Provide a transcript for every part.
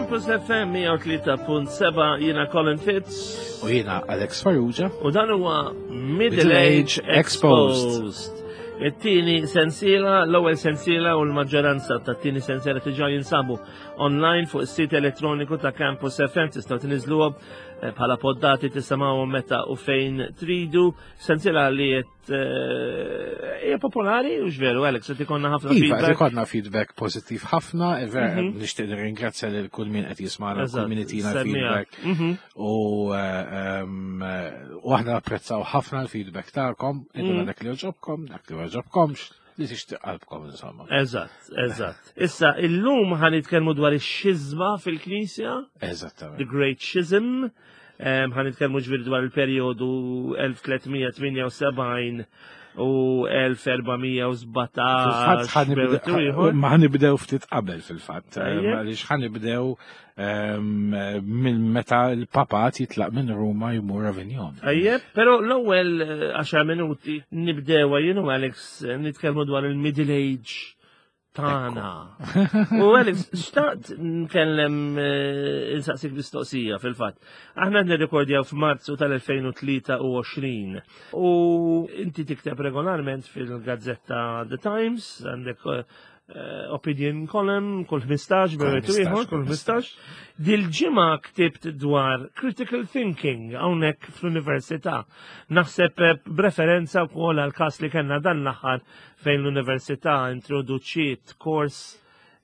Campus FM 103.7 jiena Colin Fitz. U jiena Alex Farrugia. U dan huwa Middle Age Exposed. It-tieni sensiela, l-ewwel sensiela u l-maġġoranza tat-tieni sensiela diġà jinsabu online fuq is-sit elettroniku ta' Campus FM tistgħu tniżluhom eh, bħala poddati tisimgħuhom meta u fejn tridu. Sensiela li qed Eh, hija popolari u veru Alex, qed ikonna ħafna iva, feedback. Qed ikollna feedback pożittiv ħafna, eh, mhm. nixtieq nirringrazzja lil kull min qed jismagħna, kull min itina feedback. Mhm. U eh, u aħna napprezzaw ħafna l-feedback tagħkom, iduna mhm. dak li joġobkom, dak li joġobkomx li tixtieq qalbkom insomma. Eżatt, eżatt. Issa illum ħan nitkellmu dwar ix-xiżma fil-Knisja. Eżattament. The Great Schism. Ħa nitkellmu ġifieri dwar il-perjodu 1378 u 1417. Ma ħanibdew ftit qabel fil-fatt, għaliex ħanibdew minn meta l-papat jitlaq minn Ruma jmur Avignon. Ejjeb, però l-ewwel 10 minuti nibdew jien u Alex nitkellmu dwar il-Middle Age tagħna. U Alex, xtaqt nkellem eh, insaqsik mistoqsija fil-fatt. Aħna nirrekordjaw f'Marzu tal-2023 u inti tikteb regolarment fil-gazzetta The Times, għandek eh, opinion column kull 15, bejn ieħor kull 15. Dil-ġimgħa ktibt dwar critical thinking hawnhekk fl-università. Naħseb eh, b'referenza wkoll għal każ li kellna dan l-aħħar fejn l-università introduċiet kors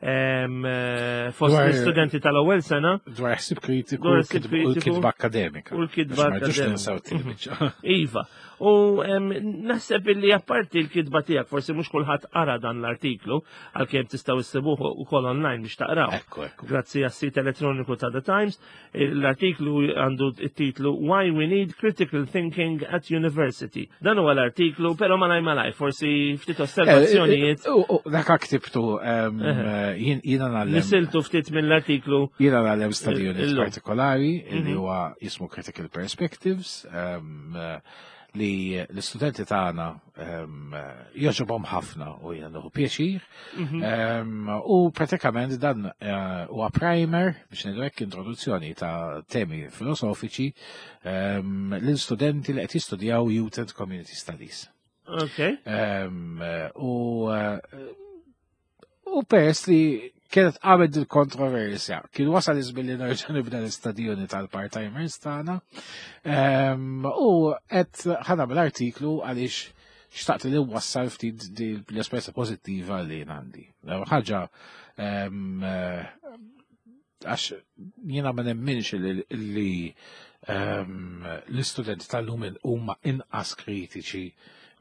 eh, fost l-istudenti tal-ewwel sena. Dwar ħsib kritiku u l-kitba akademika. U l-kitba akademika. Iva. U naħseb illi apparti l-kitba tiegħek forsi mhux kulħadd qara dan l-artiklu għalkemm tistgħu issibuh ukoll online biex taqraw. Grazzi għas-sit elettroniku ta' The Times. L-artiklu għandu t-titlu Why We Need Critical Thinking at University. Dan huwa l-artiklu, però malaj malaj, forsi ftit osservazzjonijiet. Eh, eh, dak ktibtu jiena nagħlem. Nisiltu ftit mill-artiklu. Jiena nagħlem study unit partikolari li mhm. huwa jismu Critical Perspectives li l-istudenti tagħna ehm, joġobhom ħafna u jiena nieħu pjaċir. Mhm. Ehm, u pratikament dan eh, huwa primer biex ngħidu hekk introduzzjoni ta' temi filosofiċi ehm, l-istudenti li qed jistudjaw Youth and Community Studies. Okay. U eh, U peress li kienet għamed il-kontroversja, kien wasal iż-żmien li nerġa' nibda l-istadjoni tal-part-timers tagħna. Ehm, u qed ħanamel artiklu għaliex xtaqt li wassal ftit l-esperjenza pożittiva li għandi. Ħaġa ehm, għax jiena ma nemminx li ehm, l-istudenti tal-lum huma inqas kritiċi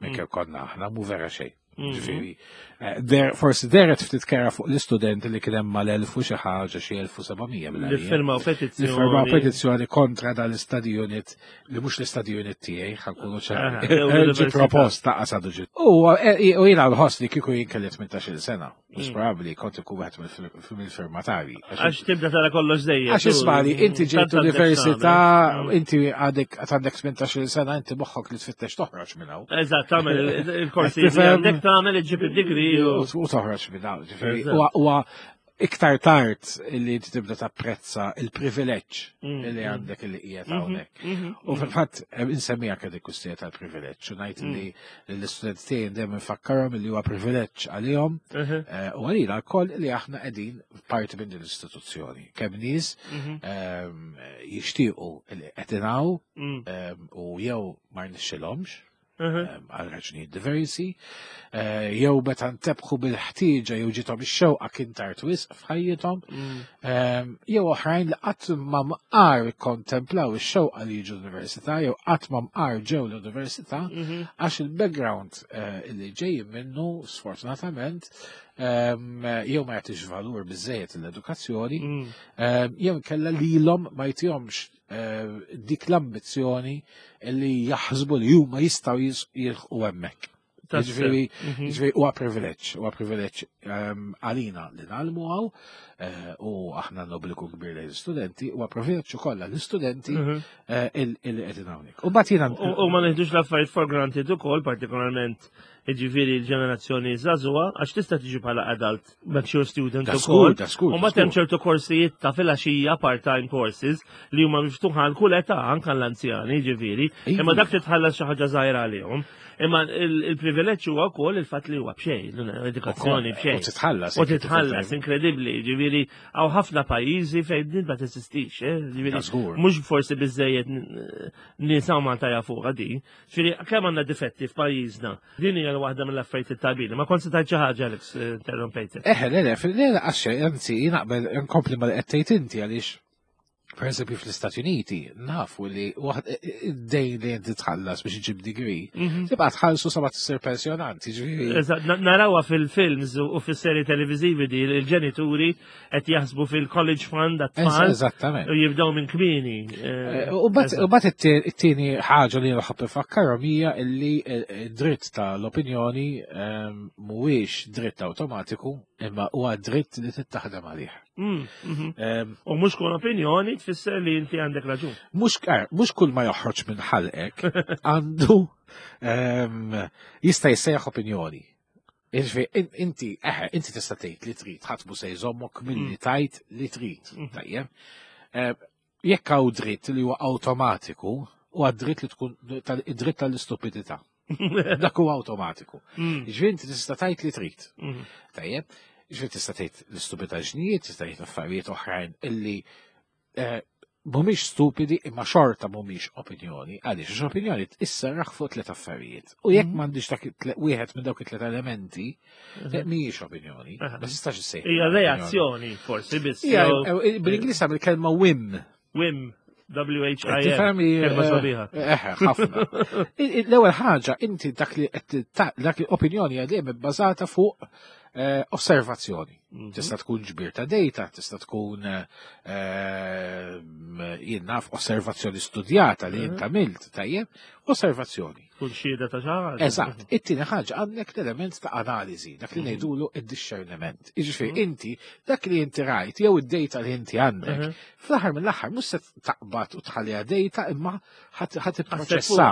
minn mm. kif konna aħna, mu vera xejn. Mhm. Ġifieri, eh, forsi deret ftit kera fuq l-istudenti li kien hemm mal-1000 u xi ħaġa xi 1700 Li firmaw petizzjoni. Li firmaw petizzjoni kontra dal-istadi unit li mhux l-istadi unit tiegħi ħankunu ċari. Ġi proposta qasadu ġi. U eh, jiena nħoss li kieku jien kelli 18-il sena. Mhux mm. probabbli kont ikun wieħed mill-firmatari. Għax tibda tara kollox dejjem. Għax ismali, inti ġejt università, mm. inti għadek għandek 18 sena, inti moħħok li tfittex toħroġ minn hawn. Eżatt, tagħmel il-korsi għandek tagħmel iġġib id-digri u toħroġ minn hawn. Huwa iktar tard li inti tibda tapprezza il-privileġġ mm, li mm. għandek li qiegħed mm-hmm, hawnhekk. Mm-hmm, u fil-fatt eh, insemmija kien il-kustija tal-privileġġ u ngħid li mm. l-istudenti tiegħi dejjem infakkarhom li huwa privileġġ għalihom mm-hmm. eh, u għalina wkoll li aħna qegħdin parti minn din l-istituzzjoni. Kemm nies ehm, jixtiequ li qed ehm, u jew ma rnexxilhomx għal raġunijiet diversi, eh, jew meta ntebħu bil-ħtieġa jew ġiethom ix-xewqa kien tard wisq f'ħajjithom, mm. ehm, jew oħrajn li qatt ma mqar kontemplaw ix-xewqa li jiġu l-università jew qatt ma mqar ġew l-università mhm. għax il-background eh, li ġejjin minnu sfortunatament ehm, jew ma jagħtix valur biżejjed l-edukazzjoni, mm. ehm, jew kella lilhom ma jtihomx Eh, dik l-ambizzjoni li jaħsbu li huma jistgħu jilħqu hemmhekk. Ġifieri, mhm. ġifieri huwa privileġġ, huwa privileġġ ehm, għalina li nagħlmu hawn eh, u aħna nobliku kbir lejn l-istudenti, huwa privileġġ ukoll għall-istudenti mhm. eh, illi qegħdin hawnhekk. U mbagħad jiena U ma neħdux l-affarijiet for granted ukoll, partikolarment Jiġifieri l-ġenerazzjoni żagħżugħa għax tista' tiġi bħala adult mature student ukoll. U mbagħad hemm ċertu korsijiet ta' filgħaxija part-time courses li huma miftuħa għal kull età anke l-anzjani, jiġifieri. Imma dak titħallas xi ħaġa żgħira għalihom. Imma il-privileġġ huwa wkoll il-fatt li huwa b'xejn, l-edukazzjoni b'xejn. U titħallas. U titħallas, inkredibbli, jiġifieri hawn ħafna pajjiżi fejn din ma teżistix, eh? Jiġifieri mhux forsi biżejjed nies hawn Malta jafuha din. Ġifieri kemm għandna difetti f'pajjiżna. Din hija waħda mill-affarijiet it-tajbin. Ma kont se tgħid xi ħaġa Alex eh, interrompejtek. Eħe, le, le, le, għax anzi naqbel nkompli ma li qed tgħid inti għaliex Per eżempju fl-Istati Uniti nafu li id-dejn li inti tħallas biex iġib degree, mhm. tibqa' tħallsu sa ma tsir pensjonant, jiġifieri. Eżatt, narawha fil-films u fis-serji televiżivi di l-ġenituri qed jaħsbu fil-college fund għat-tfal. Eżattament. U jibdew minn kmieni. Eh, eh, u bat it-tieni ħaġa li nħobb ifakkarhom hija li eh, dritt tal-opinjoni ehm, mhuwiex dritt awtomatiku imma huwa dritt li tittaħdem għalih. Mm, mhm. ehm, u mhux kull opinjoni tfisser li inti għandek raġun. Mhux kull ma joħroġ minn ħalqek għandu ehm, jista' jissejjaħ opinjoni. Jiġifieri, inti, eħe, inti tista' tgħid li trid, ħadd mhu se jżommok milli mm. tajt li trid. Mm. Tajjeb. Eh, jekk hawn dritt li huwa awtomatiku, huwa dritt li tkun id-dritt tal-istupidità. Dak huwa awtomatiku. Mm. Jiġifieri inti tista' tgħid li trid. Tajjeb. Jiġifieri tista' tgħid l-istupidaġnijiet, tista' tgħid affarijiet oħrajn illi eh, mhumiex stupidi imma xorta mhumiex opinjoni. Għaliex għax opinjoni tisserraħ fuq tliet affarijiet. U jekk mhm. m'għandix dak wieħed minn dawk it-tliet elementi, mhm. eh, mhijiex opinjoni. Ma tistax issejħ. Hija reazzjoni forsi biss. Eh, eh, bil-Ingliż għamil kelma whim. Whim. W-H-I-M. Kelma sabiħa. ħafna. L-ewwel ħaġa, inti dak li dak li opinjoni għadiem bbażata fuq osservazzjoni. Mhm. Tista' tkun ġbir ta' data, tista' tkun eh, jien naf osservazzjoni studjata li jint mhm. għamilt, tajjeb, osservazzjoni. Tkun xhieda ta' xi ħaġa. Eżatt. Mhm. It-tieni ħaġa għandek l-element ta' analiżi, dak li ngħidulu id-discerniment. Jiġifieri inti dak li inti rajt jew id-data li inti għandek, fl-aħħar mill-aħħar mhux se taqbad u tħalliha data imma ħa tipproċessa.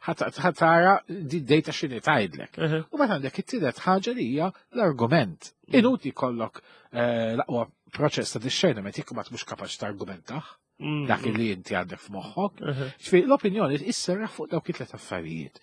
Ħa tara di data x'inhi tgħidlek. U meta għandek it-tielet ħaġa li hija l-argument. Mm. Inuti kollok eh, l-aqwa proċess ta' discerniment jekk ma mhux kapaċi targumentaħ mm. dak li inti għandek f'moħħok. Ġifieri l-opinjoni isserraħ fuq dawk it-tlet affarijiet.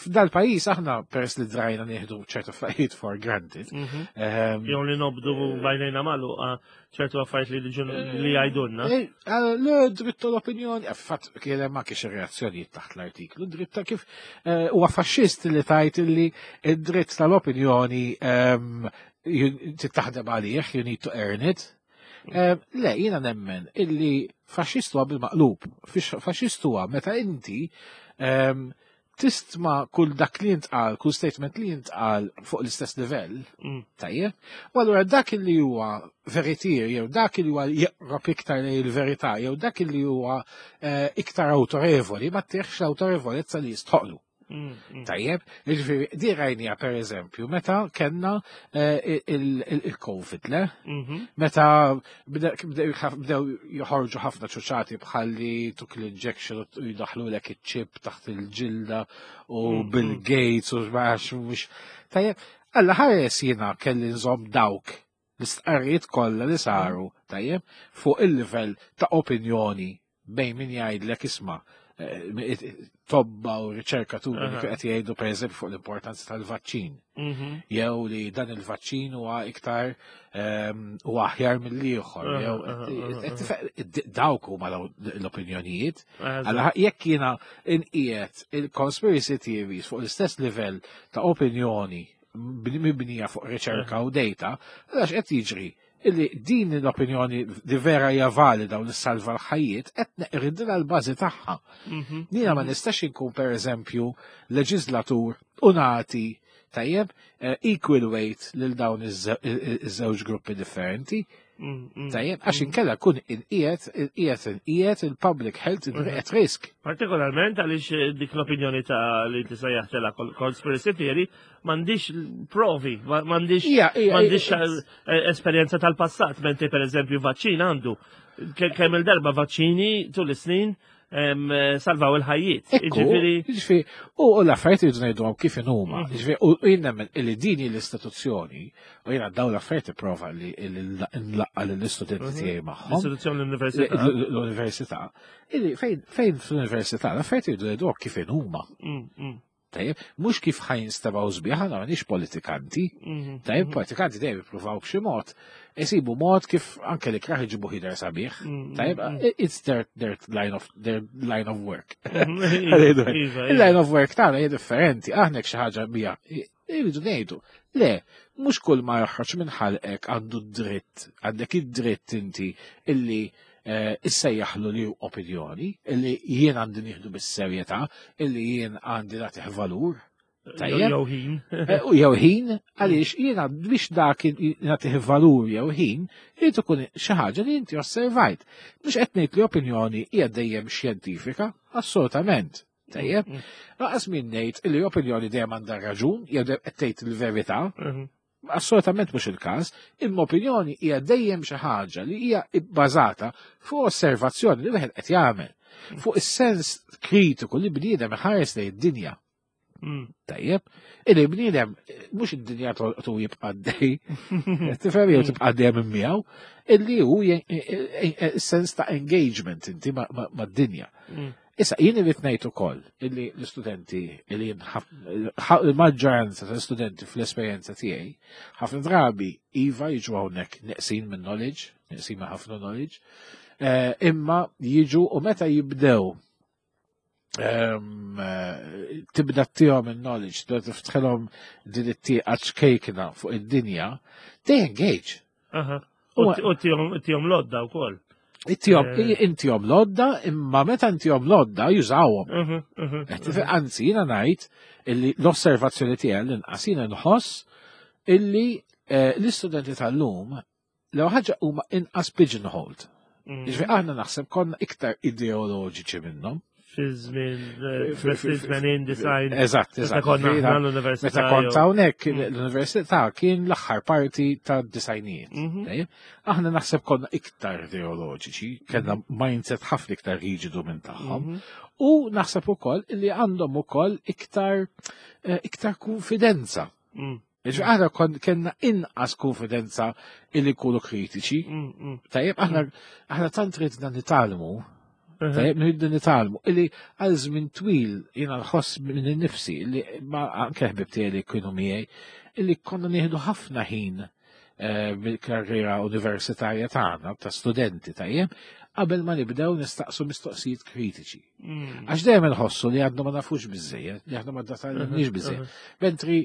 F'dal-pajjiż aħna peress li drajna nieħdu ċertu affarijiet for granted. Mhm. Ehm, Jew li nobdu bajnejna magħluqa ċertu affarijiet li ġun li jgħidulna. Eh, eh, le, dritt tal-opinjoni, eh, fatt kien hemm anke xi reazzjonijiet taħt l-artiklu, dritt ta' kif huwa faxxist li tajt li id-dritt tal-opinjoni ehm, tittaħdem għalih, you need to earn it. Ehm, le, jiena nemmen illi faxxist huwa bil-maqlub. Faxxist huwa meta inti ehm, tistma kull dak li jintqal, kull statement li jintqal fuq l-istess livell, mm. tajjeb, u allura dak li huwa veritier, jew dak li huwa jeqrob iktar lejn il-verità, jew dak li huwa eh, iktar autorevoli, ma tieħx l-autorevolezza li jistħoqlu. Mm, mm. Tajjeb, jiġifieri di rajnija per eżempju, meta kellna eh, il-Covid, le? Mhm. Meta bdew joħorġu ħafna ċuċati bħalli tuk l-injection u jdaħlu lek iċ-chip taħt il-ġilda u mm, Bill mm. Gates u x'max mhux. Tajjeb, alla ħares jiena kelli nżomm dawk l-istqarrijiet kollha li saru, tajjeb, fuq il-livell ta' opinjoni bejn min jgħidlek isma' eh, tobba u riċerkaturi li qed jgħidu pereżempju fuq l-importanza tal-vaċċin. Mhm. Jew li dan il-vaċċin huwa iktar ehm, huwa aħjar mill-ieħor. Jew dawk huma l-opinjonijiet. Alla jekk jiena inqiegħed il-conspiracy theories fuq l-istess livell ta' opinjoni mibnija fuq riċerka u data, għax qed jiġri illi din l-opinjoni li vera hija valida u li salva l-ħajjiet qed neqridilha l-bażi tagħha. Mhm. Jiena ma nistax inkun pereżempju leġislatur u nagħti tajjeb eh, equal weight lil dawn iż-żewġ gruppi differenti. Mm, mm, tajjeb, għax mm. inkella kun inqiegħed inqiegħed inqiegħed il-public health at risk. Partikolarment għaliex eh, dik l-opinjoni ta' li tista' jaħtela conspiracy theory m'għandix provi, m'għandix m'għandix eh, esperjenza tal-passat, mentri per eżempju vaċċin għandu. Kemm il-darba vaċċini tul is-snin salvaw il-ħajjiet. Ġifieri, ġifieri, u l-affarijiet irridu ngħiduhom kif inhuma. Mhm. Ġifieri, u jien nemmen li din l-istituzzjoni, u jiena dawn l-affarijiet ipprova li nlaqqa lill-istudenti mhm. tiegħi magħhom. L-istituzzjoni l-università. L-università. Illi fejn fl-università l-affarijiet irridu ngħiduhom kif inhuma. Mm, mm. Tajjeb, mhux kif ħa jinstebaw sbieħ, aħna m'għandniex politikanti. Mhm, Tajjeb, mhm. politikanti dejjem jippruvaw b'xi mod, isibu mod kif anke li kraħ iġibu ħider sabiħ. Mhm, Tajjeb, it's their, their, line of, their line of work. Iva, iva. Il-line of work tagħna hija differenti, aħna xi ħaġa bija irridu ngħidu. Le, mhux kull ma joħroġ minn ħalqek għandu dritt, għandek id-dritt inti illi eh, issejjaħlu li opinjoni, illi jien għandi nieħdu bis-serjetà, illi jien għandi nagħtih valur. Tajjeb. Jew ħin. Eh, u jew ħin, għaliex jiena biex dak nagħtih valur jew ħin, irid ikun xi ħaġa li inti osservajt. Mhux qed ngħid li opinjoni hija dejjem xjentifika, assolutament. Tajjeb, mm. laqas min ngħid li opinjoni dejjem għandha raġun, jew qed tgħid il-verità. Mm-hmm. Assolutament mhux il-każ, imma opinjoni hija dejjem xi ħaġa li hija bbażata fuq osservazzjoni li wieħed qed jagħmel, fuq is-sens kritiku li bniedem iħares lejn id-dinja. Mm. Tajjeb, illi bniedem mhux id-dinja tolqtu jibqa' dej, tifhem jew tibqa' dejjem minn miegħu, illi hu sens ta' engagement inti mad-dinja. Mm. Issa, jien irrid ngħid ukoll illi l-istudenti illi il-maġġoranza tal-istudenti fl-esperjenza tiegħi ħafna drabi iva jiġu hawnhekk neqsin minn knowledge, neqsin minn ħafna knowledge, eh, imma jiġu u meta jibdew ehm, eh, tibda tihom il-knowledge, tibda tiftħilhom din it-tieqa ċkejkna fuq id-dinja, they engage. U tihom lodda wkoll. Intihom eh. intihom lodda, imma meta intihom lodda jużawhom. Mhm, mhm, mhm. Anzi, jiena ngħid illi l-osservazzjoni tiegħi l-inqas jiena nħoss illi eh, l-istudenti tal-lum l ħaġa huma inqas pigeonholed. Mm. Ġifieri aħna naħseb konna iktar ideoloġiċi minnhom. Fi żmien fi design. Eżatt, eżatt. Konna l-università. Meta kont hawnhekk mm. l-università kien l-aħħar parti ta' disajnijiet. Mhm. Aħna naħseb konna iktar ideoloġiċi, kellna mhm. mindset ħafna iktar riġidu minn tagħhom. Mhm. U naħseb ukoll li għandhom ukoll iktar eh, iktar konfidenza. Mm. Ġi aħna kellna inqas konfidenza illi nkunu kritiċi. Mm, mm. Tajjeb, aħna aħna tant ridna nitalmu, tajjeb nridu nitalmu, illi għal żmien twil jiena nħoss minn nifsi illi ma anke ħbib tiegħi li kienu miegħi, illi konna nieħdu ħafna ħin eh, mill-karriera universitarja tagħna ta' studenti tajjeb, qabel ma nibdew nistaqsu mistoqsijiet kritiċi. Mm. Għax dejjem inħossu li għadna ma nafux biżejjed, li aħna ma datalniex biżejjed. Mentri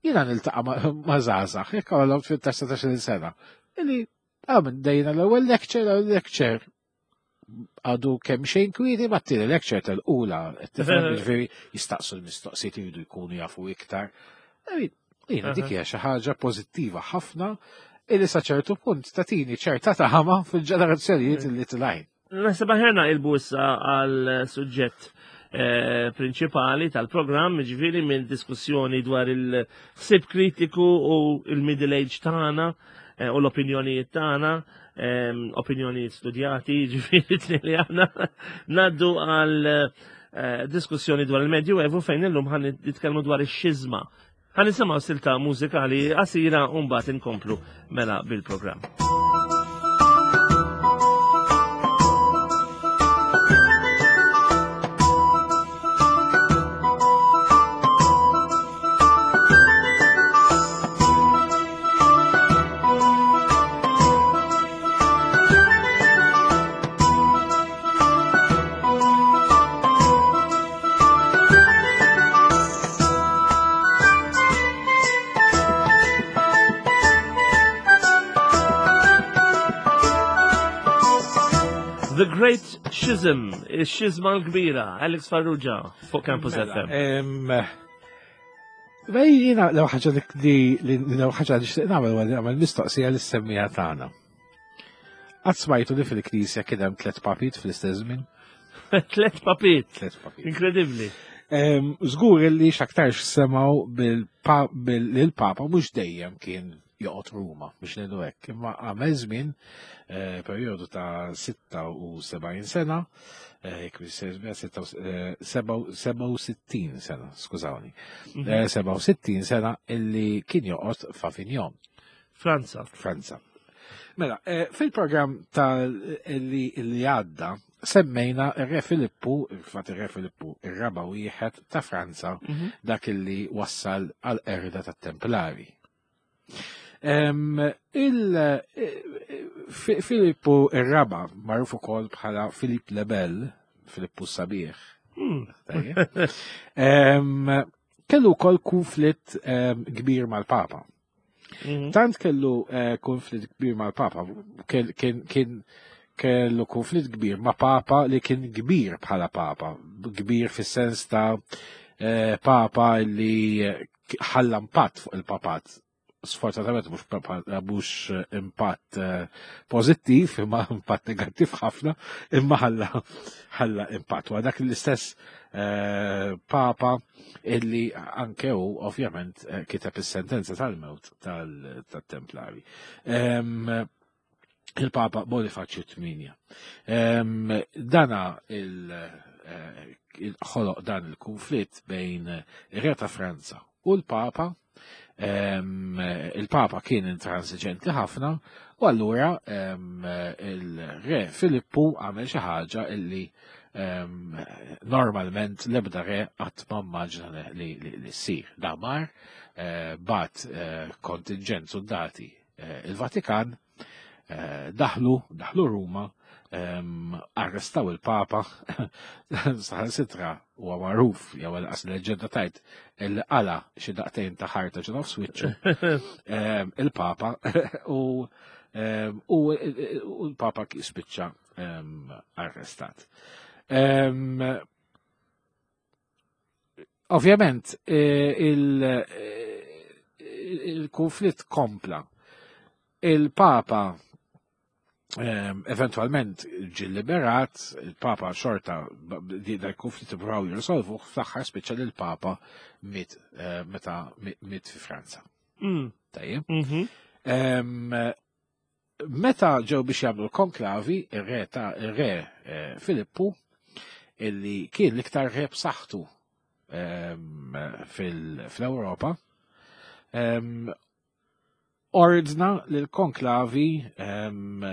jiena niltaqa' ma' żgħażagħ, jekk għalhom 18 sena, illi għamil dejna l-ewwel lecture, l-ewwel lecture għadu kemm xejn kwieti ma t-tieni lecture tal-ula, tifhem ġifieri jistaqsu l-mistoqsijiet jridu jkunu jafu iktar. Jiena dik hija xi ħaġa pożittiva ħafna illi sa ċertu punt tatini ċerta tama fil-ġenerazzjonijiet li tilajn. Naħseb aħjar naqilbu issa għal suġġett eh, prinċipali tal-programm, ġifieri minn diskussjoni dwar il-ħsieb kritiku u il-middle age tagħna eh, u l-opinjonijiet tagħna, eh, opinjonijiet studjati, ġifieri li aħna naddu għal diskussjoni dwar il-Medju Evu fejn illum ħan nitkellmu dwar ix-xiżma. Ħa nisimgħu silta mużikali qasira u mbagħad inkomplu mela bil-programm. The Great Schism, il-xizma l-kbira, Alex Farrugia, fuq Campus mela, FM. Bej, jina, l ħaġa li l ħaġa li xtiq nagħmel għal nagħmel mistoqsija li semmija tagħna. Qatt smajtu li fil-knisja kien hemm tliet papit fl-istess żmien? Tliet papit. Tliet papit. Inkredibbli. Żgur li x'aktarx semgħu bil-papa mhux dejjem kien joqgħod Ruma biex ngħidu hekk. Imma għamel żmien eh, perjodu ta' 76 sena, eh, jekk 67 sena, skużawni. 67 sena illi kien joqgħod f'Avignon. Franza. Franza. Mela, fil-programm ta' li għadda semmejna ir-Re Filippu, il-fat ir-Re Filippu, ir-raba wieħed ta' Franza, dak illi wassal għal erda tat-Templari. Il-Filippu ir-raba, magħruf ukoll bħala Filip le Bel, Filippu Sabiħ. Kellu wkoll konflitt kbir mal-Papa. Tant kellu eh, konflitt kbir mal-Papa, kien kellu konflitt kbir ma' Papa li kien kbir bħala Papa, kbir fis-sens ta' eh, Papa li ħalla impatt fuq il-papat. Sfortunatament mhux mhux impatt eh, pożittiv, imma impatt negattiv ħafna, imma ħalla ħalla impatt. Wa dak l-istess eh, Papa illi anke hu ovvjament eh, kiteb is-sentenza tal-mewt tal-Templari. Il-Papa Bonifaċju 8. Dana il-ħoloq dan il-konflitt bejn ir-Re ta' Franza u l-Papa. Il-Papa kien intransiġenti ħafna u allura il-Re Filippu għamel xi ħaġa illi normalment l-ebda re qatt ma mmaġna li ssir. Damar eh, bat eh, kontingent soldati eh, il-Vatikan daħlu, daħlu Ruma, arrestaw il-Papa, saħansitra huwa magħruf jew għas leġenda tajt il qala xi daqtejn ta' ħarta ġo nofs wiċċu il-Papa u u l-Papa spiċċa arrestat. Ovvjament, eh, eh, il-konflitt kompla. Il-Papa eventualment ġi liberat, il-Papa xorta dal konflitt provaw jirsolvu, fl-aħħar spiċċa li l-Papa miet eh, meta miet fi Franza. Tajjeb. Meta ġew biex jagħmlu l-konklavi, ir-re ta' ir-re eh, Filippu, illi kien l-iktar re b'saħħtu ehm, fl-Ewropa, ehm, ordna li l-konklavi ehm,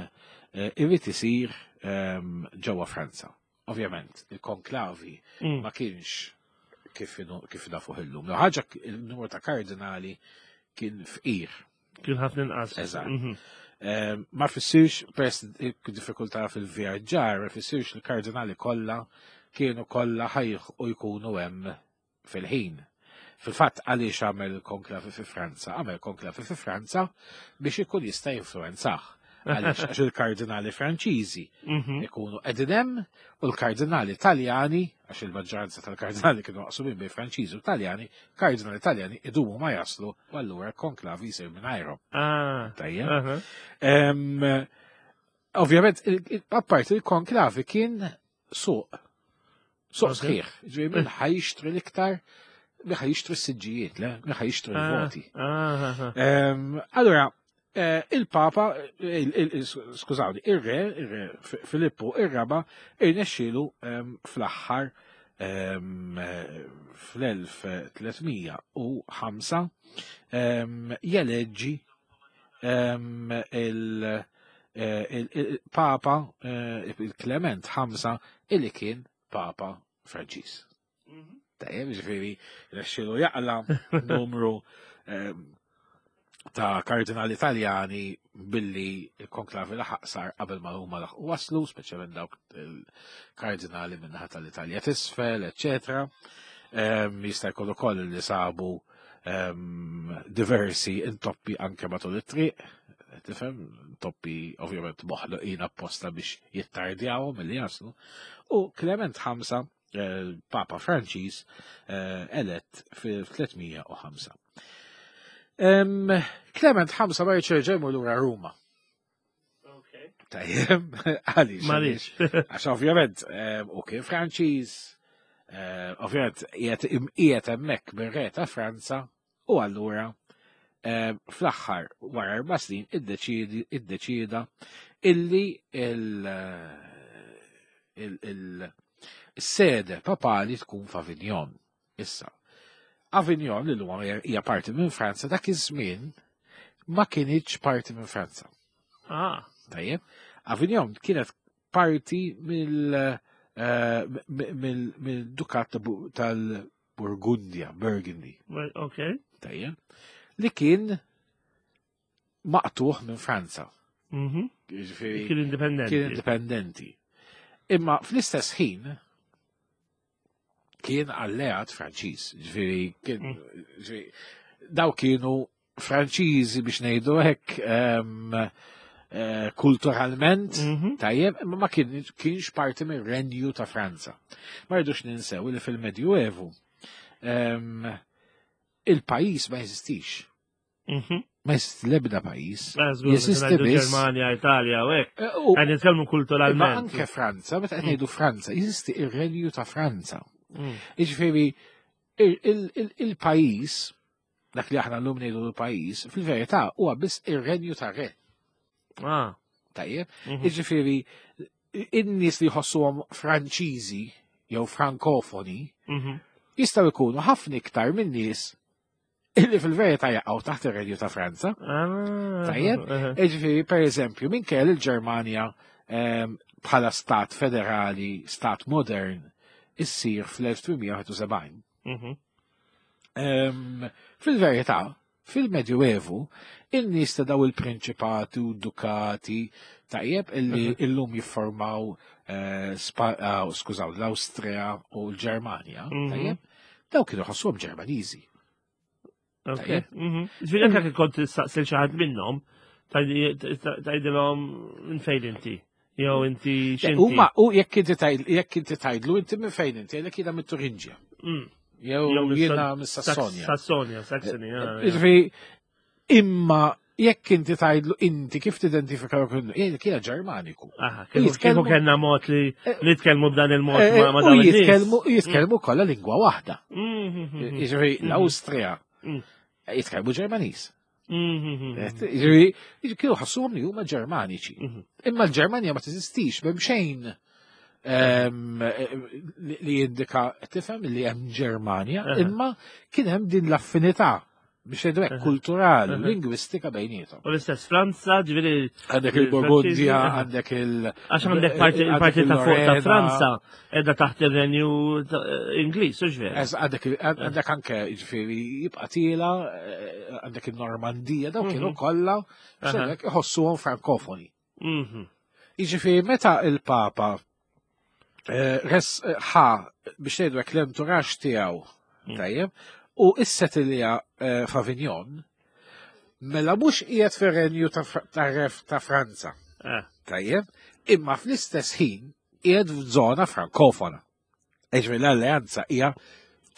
eh, irrid isir ġewwa Franza. Ovvjament, il-konklavi mm. ma kienx kif kif nafu illum. Ħaġa il-numru ta' kardinali kien fqir. Kien ħafna inqas. Eżatt. Mhm. Ehm, ma fissirx peress diffikultà fil-vjaġġar, ma fissirx li kardinali kollha kienu kollha ħajħ u jkunu hemm fil-ħin. Fil-fatt għaliex għamel konklavi fi Franza? Għamel konklavi fi Franza biex ikun jista' jinfluenzah. Għaliex għax il-kardinali Franċiżi mhm. ikunu qegħdin hemm u l-kardinali Taljani, għax il-maġġoranza tal-kardinali kienu maqsumin bejn Franċiżi u Taljani, kardinali Taljani idumu ma jaslu u allura konklavi jsir mingħajrhom. Ah. Tajjeb. Ovvjament, apparti il-konklavi kien suq. Suq sħiħ. Ġifieri min ħajxtri l-iktar min ħajxtri s-siġġijiet, le, min ħajxtri ah, l-voti. Ah, ah, allura, eh, il-Papa, skużawni, ir-re, ir-re Filippu ir-raba, irnexxielu fl-aħħar fl-1305 jeleġġi il-Papa eh, il-Klement 5 illi kien Papa Franċis. Mhm. Tajjeb, ġifieri, rexxilu jaqla numru eh, ta' kardinali Taljani billi il-konklavi laħaq sar qabel ma huma laħqu waslu, speċjalment dawk il-kardinali minnaħa tal-Italja tisfel, eċetera. Jista' jkun ukoll li sabu diversi intoppi anke matul it-triq, tifhem, intoppi ovvjament moħloqin apposta biex jittardjawhom milli jaslu. U Clement 5, eh, Papa Franċiż, eh, elett fil-305. Clement 5 ma jirċerġa jmur lura Ruma. Tajjeb, għaliex. Għaliex. Għax ovvjament, u kien Franċiż, eh, ovvjament qiegħed hemmhekk mir-re ta' Franza u allura Fl-aħħar wara 4 snin iddeċieda illi il-sede papali tkun f'Avignon. Issa, Avignon li l-lum hija parti minn Franza dak iż-żmien ma kinitx parti minn Franza. Ah. Tajjeb, Avignon kienet parti mill-dukat tal-Burgundja, Burgundy. Ok. Tajjeb. Li kien maqtuħ minn Franza. Kien indipendenti. Kien indipendenti. Imma fl-istess ħin kien alleat Franċiż. Ġifieri kien mm. daw kienu Franċiżi biex ngħidu hekk kulturalment, tajjeb, imma ma kienx parti mir-renju ta' Franza. Ma rridux ninsew li fil-Medjuevu il-pajjiż ma jeżistix. Ma jeżisti l-ebda pajjiż. Jeżisti biss. Ġermanja, Italja, u hekk. Eh, Qed nitkellmu kulturalment. Ma anke Franza, meta qed ngħidu Franza, jeżisti ir-renju ta' Franza. Jiġifieri il-pajjiż dak li aħna llum ngħidu l-pajjiż, fil-verità huwa biss ir-renju ta' re. Ah. Tajjeb, jiġifieri in-nies li jħossuhom Franċiżi jew Frankofoni jistgħu jkunu ħafna iktar minn nies illi fil-verità jaqgħu taħt ir-renju ta' Franza. Ah. Tajjeb, jiġifieri pereżempju minn kell il-Ġermanja bħala stat federali, stat modern, issir fl-1871. Fil-verità, fil-Medjuevu, in-nies ta' daw il-prinċipati u dukati tajjeb illi illum jiffurmaw eh, ah, skużaw, l-Awstrija u l-Ġermanja, tajjeb, daw kienu ħossuhom Ġermaniżi. Mhm. Ġifieri anke kont tistaqsil xi ħadd minnhom, tgħidilhom minn fejn inti. Jew inti x'inti. Huma u jekk inti jekk inti tgħidlu inti minn fejn inti, jekk jiena mit-Turinġja. Jew jiena mis-Sassonja. Sassonja, Saxony. Eh, eh, ġifieri imma jekk inti tgħidlu inti kif tidentifika jekk jiena Ġermaniku. Kieku kellna mod li eh, nitkellmu b'dan il-mod ma' dawn Jitkellmu jitkellmu kollha lingwa waħda. Jiġifieri l-Awstrija jitkellmu Ġermaniż. Jiġifieri kienu ħassuhom li huma Ġermaniċi. Imma l-Ġermanja ma teżistix m'hemm xejn li jindika tifhem li hemm Ġermanja, imma kien hemm din l-affinità biex jgħidu hekk kulturali, lingwistika bejniethom. U l-istess Franza, ġifieri għandek il-Burgundja, għandek il- Għax għandek parti il-parti ta' fuq ta' Franza qiegħda taħt ir-Renju Ingliż, u ġveri. Għandek anke ġifieri jibqa' tiela, eh, għandek il-Normandija, dawk kienu mhm. kollha x'hekk iħossuhom frankofoni. Jiġifieri meta il-Papa eh, res eh, ħa biex ngħidu hekk l-enturax tiegħu mm. tajjeb u issetilja eh, f'Avignon, mela mhux qiegħed fir-renju ta' Franza. Tajjeb, imma fl-istess ħin qiegħed f'żona frankofona. Ġifieri l-alleanza hija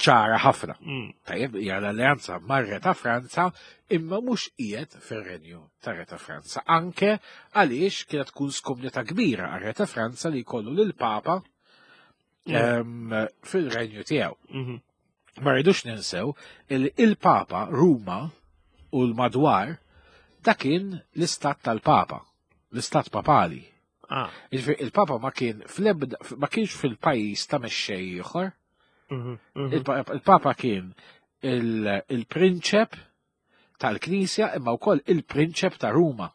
ċara ħafna. Mm. Tajjeb, hija l-alleanza marre ta' Franza imma mhux qiegħed fir-renju ta' Re ta' Franza. Anke għaliex kienet tkun skumnità kbira għar Re ta' Franza li jkollu lil Papa mm. ehm, fil-renju tiegħu. Mm-hmm. Ma rridux ninsew il il-Papa Ruma u l-madwar dak kien l-istat tal-Papa, l-istat papali. Ah. Il-Papa ma kien fl-ebda, ma kienx fil-pajjiż ta' mexxej ieħor. Mhm, mhm. Il-Papa kien il-prinċep tal-Knisja imma wkoll il-prinċep ta' Ruma.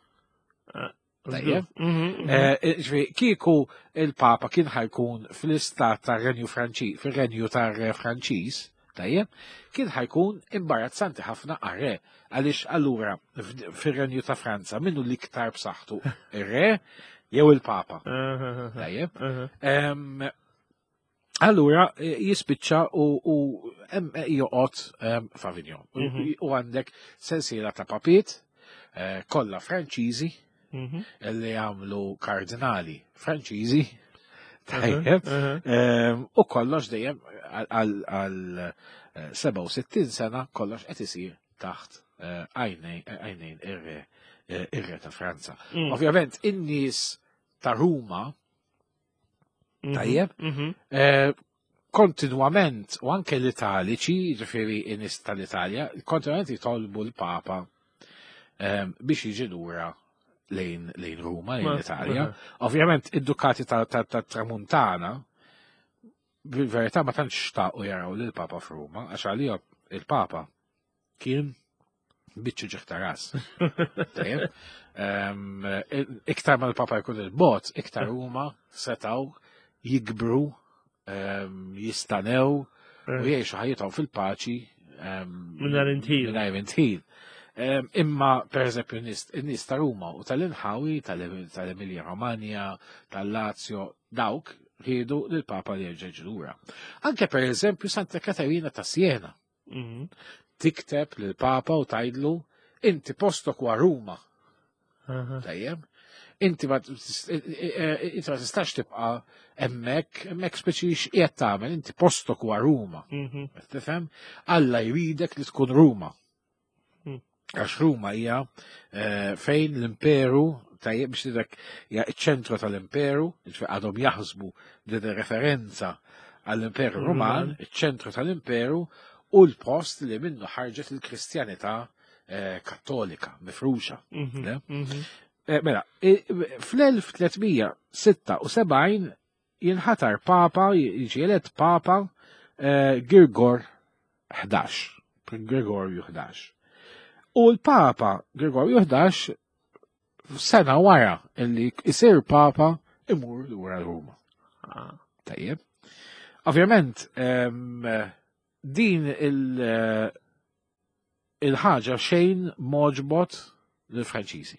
Ah, Tajjeb. Mhm, eh, ġifieri, kieku il-Papa kien ħajkun fl-istat tar-Renju Franċiż, fir-Renju tar-Re Franċiż, Tajjeb, kien ħajkun imbarazzanti ħafna għar-re, għaliex allura fir-Renju ta' Franza minnu l-iktar b'saħħtu ir-re jew il-Papa. Tajjeb. Allura eh, jispiċċa u eh, joqgħod f'Avignon. Mhm. U għandek sensiela ta' papiet eh, kollha Franċiżi mhm. li għamlu kardinali Franċiżi Tajjeb. Ehm, u kollox dejjem għal 67 eh, sena kollox qed isir taħt eh, għajnejn eh, ir-re ta' Franza. Mm. Ovvjament, in-nies ta' Ruma, mhm, tajjeb, mhm. kontinwament, u anke l-Italiċi, ġifieri in-nies tal-Italja, kontinwament jitolbu l-Papa. biex jiġi lura lejn lejn Ruma, lejn l-Italja. Ovvjament id-dukati ta' Tramuntana bil-verità ma tantx xtaqu jaraw lil Papa f'Ruma, għax għalihom il-Papa kien biċċu ġieħ ta' ras. Tajjeb. Iktar ma l-Papa jkun il-bot, iktar huma setaw jikbru, jistanew u jgħixu ħajjithom fil-paċi. Mingħajr intħil. Mingħajr intħil. Imma, per eżempju, n-nies ta' Ruma u tal-inħawi, tal-Emilia Romagna, tal-Lazio, dawk riedu lill-Papa li jerġa' lura. Anke per eżempju Santa Katarina ta' Siena. Tikteb lill-Papa u tgħidlu inti postok wa Ruma. Tajjeb. Inti ma inti ma tistax tibqa' hemmhekk, hemmhekk speċi x'qiegħed tagħmel, inti postok wa Ruma. Tifhem? Alla jridek li tkun Ruma. Għax Ruma hija fejn l-imperu tajjeb biex tidek hija ċ-ċentru tal-imperu, jiġifieri għadhom jaħsbu din ir-referenza għall-Imperu Ruman, iċ-ċentru tal-imperu u l-post li minnu ħarġet il-Kristjanità Kattolika mifruxa. Mela, fl-1376 jinħatar Papa, jiġi elett Papa Girgor 11, Gregorju 11. U l-Papa Gregorju 11 sena wara illi isir Papa imur lura Ruma. Tajjeb. Ovvjament, din il-ħaġa xejn moġbot lill-Franċiżi.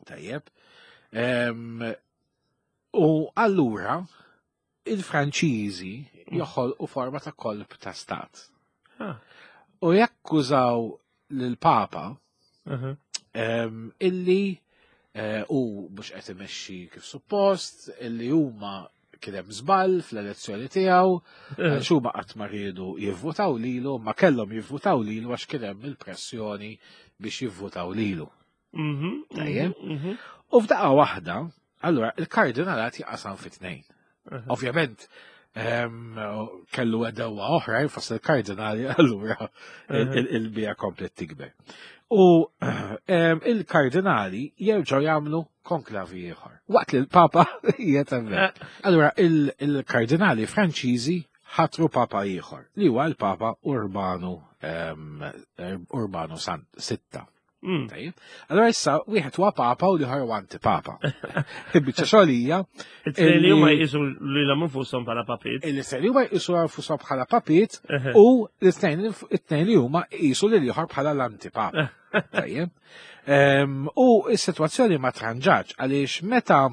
Tajjeb. U allura il-Franċiżi joħolqu forma ta' kolp ta' stat. U jakkużaw lill-Papa illi u mhux qed imexxi kif suppost, illi huma kien hemm żball fl-elezzjoni tiegħu, għax huma qatt ma riedu jivvutaw lilu, ma kellhom jivvutaw lilu għax kien hemm il-pressjoni biex jivvutaw lilu. Tajjeb. U f'daqqa waħda, allura il-kardinalat jaqasam fi tnejn. Ovvjament, kellu għedewa oħra, fost il-kardinali, allura il-bija komplet tikber. U il-kardinali jerġgħu jagħmlu konklavi ieħor. Waqt li l-Papa qiegħed hemmhekk. Allura il-kardinali Franċiżi ħatru Papa ieħor, li huwa l-Papa Urbanu Urbanu Sitta. Tajjeb. Allora issa wieħed huwa papa u l-ieħor huwa antipapa. Biċċa xogħol hija. It-tnejn li huma jqisu lilhom infushom bħala papiet. Il-tnejn li huma jqisu nfushom bħala papiet u l-tnejn li huma jqisu lil ieħor bħala l-antipapa. Tajjeb. U s-sitwazzjoni ma tranġax għaliex meta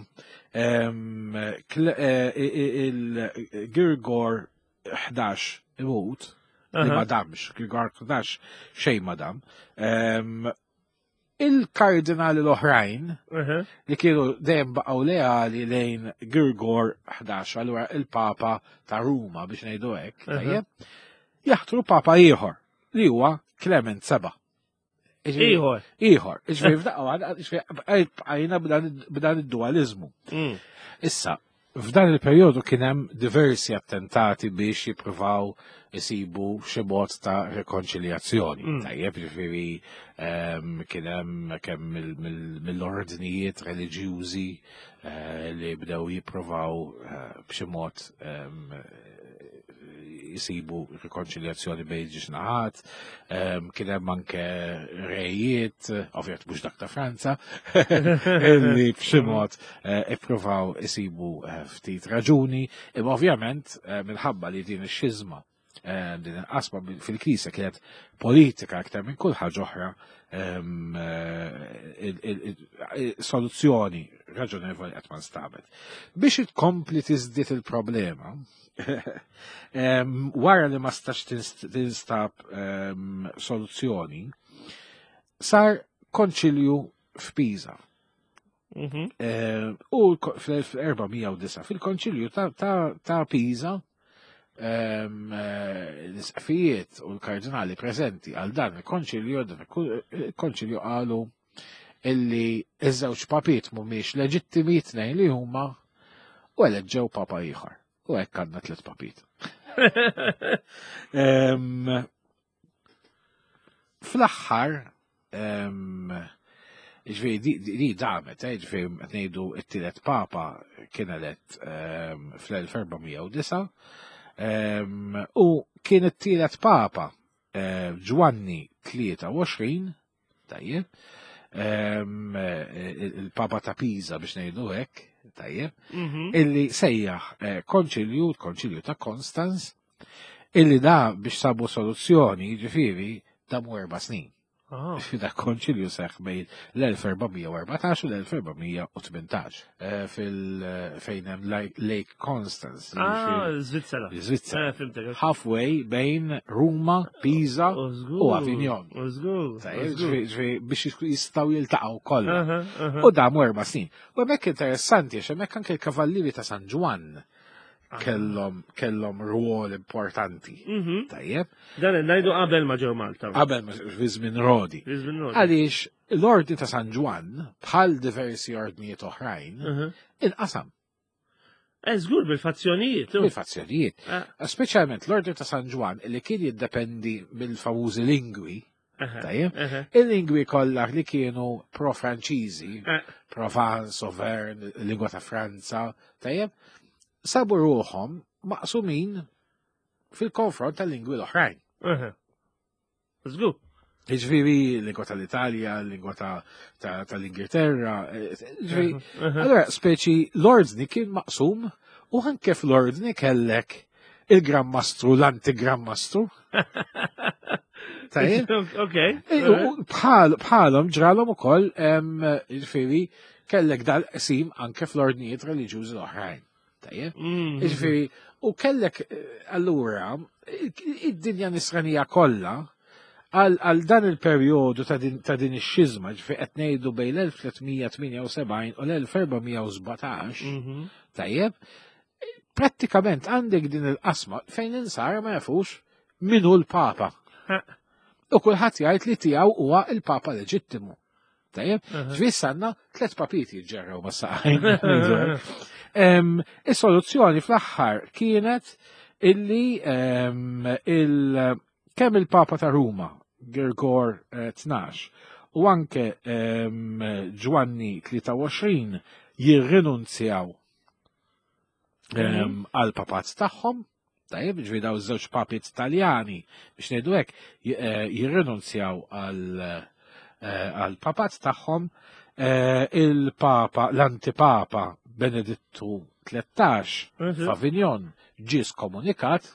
il-Girgor 11 imut, li ma damx, Girgor 11 xejn ma dam, il-kardinali l-oħrajn li kienu dejjem baqgħu leali lejn Girgor 11, allura il-Papa ta' Ruma biex ngħidu hekk, tajjeb, jaħtru Papa ieħor li huwa Clement 7. Ieħor. Ieħor. Iġifieri f'daqqa jiġifieri bqajna b'dan id-dualizmu. Issa, f'dan il-perjodu kien hemm diversi attentati biex jippruvaw isibu xi mod ta' rekonċiljazzjoni. Tajjeb, jiġifieri kien hemm kemm mill-ordnijiet reliġjużi li bdew jippruvaw b'xi mod jisibu rikonċiljazzjoni bejn ġiex naħat, kien hemm anke rejiet, ovvjament mhux dak ta' Franza, li b'xi mod ippruvaw isibu ftit raġuni, imma ovvjament minħabba li din ix-xiżma, din il-qasma fil-Knisja kienet politika aktar minn kull ħaġa oħra, soluzzjoni raġonevoli qatt ma nstabet. Biex tkompli tiżdied il-problema, wara li ma stax tinstab soluzzjoni, sar konċilju f'Pisa. U fl-1409 fil-konċilju ta' Pisa, l-isqfijiet u l-kardinali preżenti għal dan il-konċilju, dan il-konċilju qalu illi iż-żewġ papiet mhumiex leġittimi tnejn li huma u eleġġew papa ieħor. U hekk għandna tliet papiet. Fl-aħħar Ġifieri di damet, eh, ġifieri qed ngħidu t-tielet papa kien elett fl-1409 u kien it-tielet papa eh, Ġwanni 23, tajjeb, il-Papa ta' Pisa biex ngħidu hekk, tajjeb, mhm. illi sejjaħ eh, konċilju, konċilju ta' Konstanz, illi da biex sabu soluzzjoni, ġifieri, damu erba' snin. Ah. Da konċilju seħ bejn l-1414 u l-1418 eh, fil-fejn hemm Lake Constance. Ah, Svizzera. Svizzera. Eh, Halfway bejn Ruma, Pisa u Avignon. Biex jistaw jiltaqgħu kollha. U damu erba' snin. U hemmhekk interessanti għax hemmhekk anke l-Kavallieri ta' San Ġwann kellhom kellhom rwol importanti. Mhm. Tajjeb. Dan ngħidu qabel ma ġew Malta. Qabel ma fi żmien Rodi. Għaliex l-Ordni ta' San Ġwann bħal diversi ordnijiet oħrajn mhm. inqasam. Eh, żgur bil-fazzjonijiet. Bil-fazzjonijiet. Eh. Speċjalment l-Ordni ta' San Ġwann li kien jiddependi mill-famużi lingwi, Tajjeb, il-lingwi kollha li kienu pro-Franċiżi, eh. Provence, Auvergne, lingwa ta' Franza, tajjeb, sabu ruħhom maqsumin fil-konfront tal-lingwi l-oħrajn. Żgur. Ġifieri lingwa tal-Italja, lingwa tal-Ingilterra, eh, ġifieri. Allora, speċi l-ordni kien maqsum u anke fl-ordni kellek il-Gran Mastru, l-anti-Gran Mastru. Tajjeb? Ok. Bħalhom ġralhom ukoll ġifieri kellek dal-qsim anke fl-ordnijiet reliġjużi l-oħrajn. Tajjeb? Mm. Ġifieri, u kellek eh, allura id-dinja nisranija kollha għal dan il-perjodu ta' din ix-xiżma, ġifieri qed ngħidu bejn l-1378 u l-1417, mhm. tajjeb, prattikament għandek din il-qasma fejn l-insara ma jafux min hu l-Papa. U kulħadd jgħid li tiegħu huwa il-Papa leġittimu. Tajjeb, ġvis għandna tliet papiet jiġġerrew ma' saqajn. Is-soluzzjoni fl-aħħar kienet illi il kemm il-Papa ta' Ruma, Girgor 12, eh, u anke Ġwanni 23 jirrinunzjaw mhm. għal papat tagħhom, tajjeb, ġvi daw żewġ papiet Taljani biex ngħidu hekk eh, jirrinunzjaw għal eh, għal papat tagħhom eh, il-papa, l-antipapa Benedittu 13 mhm. f'Avignon ġie skomunikat